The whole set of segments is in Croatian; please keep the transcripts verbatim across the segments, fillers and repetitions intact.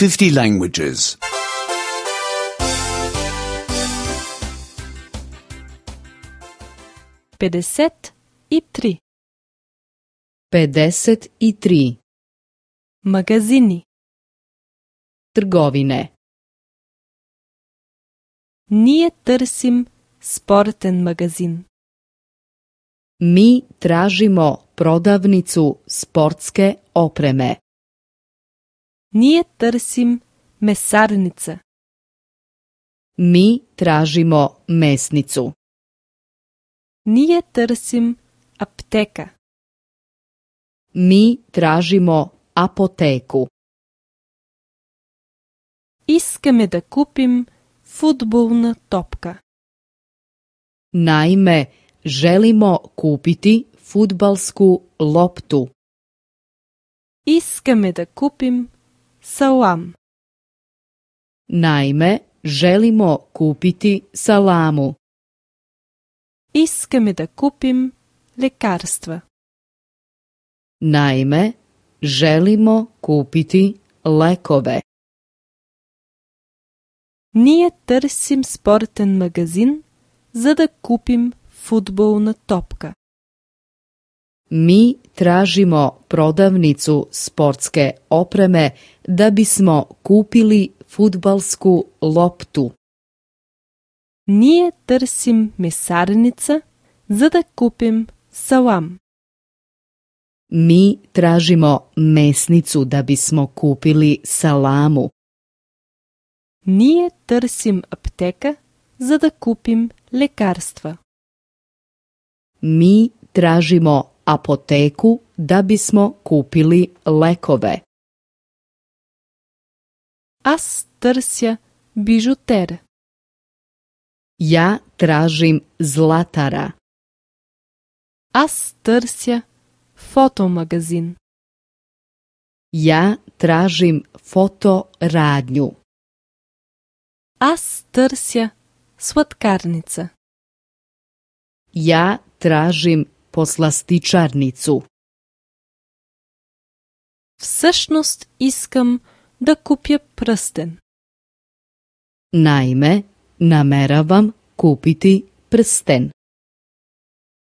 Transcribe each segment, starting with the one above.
fifty languages. pedeset i tri. pedeset i tri. Magazini. Trgovine. Ние търсим спортен магазин. Mi tražimo prodavnicu sportske opreme. Ние търсим месарница. Mi tražimo mesnicu. Ние търсим аптека. Mi tražimo apoteku. Искаме да купим фудбална топка. Naime, želimo kupiti fudbalsku loptu. Искаме да купим салам. Naime, želimo kupiti salamu. Искаме да купим лекарства. Naime, želimo kupiti lekove. Ние търсим спортен магазин, за да купим фудбална топка. Mi tražimo prodavnicu sportske opreme da bismo kupili fudbalsku loptu. Ние търсим месарница, за да купим салам. Mi tražimo mesnicu da bismo kupili salamu. Ние търсим аптека, за да купим лекарства. Mi tražimo apoteku da bismo kupili lekove. Аз търся бижутер. Ja tražim zlatara. Аз търся фотомагазин. Ja tražim fotoradnju. Аз търся сладкарница. Ja tražim poslastičarnicu. Всъщност искам да купя пръстен. Naime, nameravam kupiti prsten.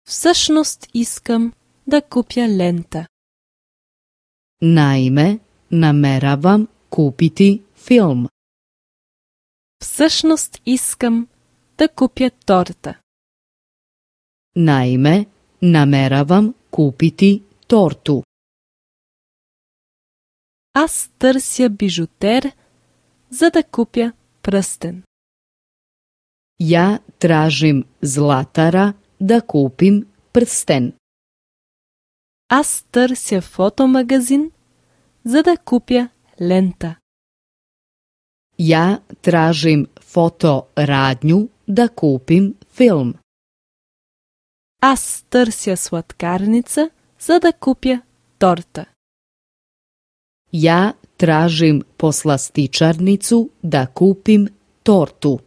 Всъщност искам да купя лента. Naime, nameravam kupiti film. Всъщност искам да купя торта. Naime, nameravam kupiti tortu. Аз търся бижутер, за да купя пръстен. Ja tražim zlatara da kupim prsten. Аз търся фотомагазин, за да купя лента. Ja tražim fotoradnju da kupim film. Аз търся сладкарница, за да купя торта. Ja tražim poslastičarnicu da kupim tortu.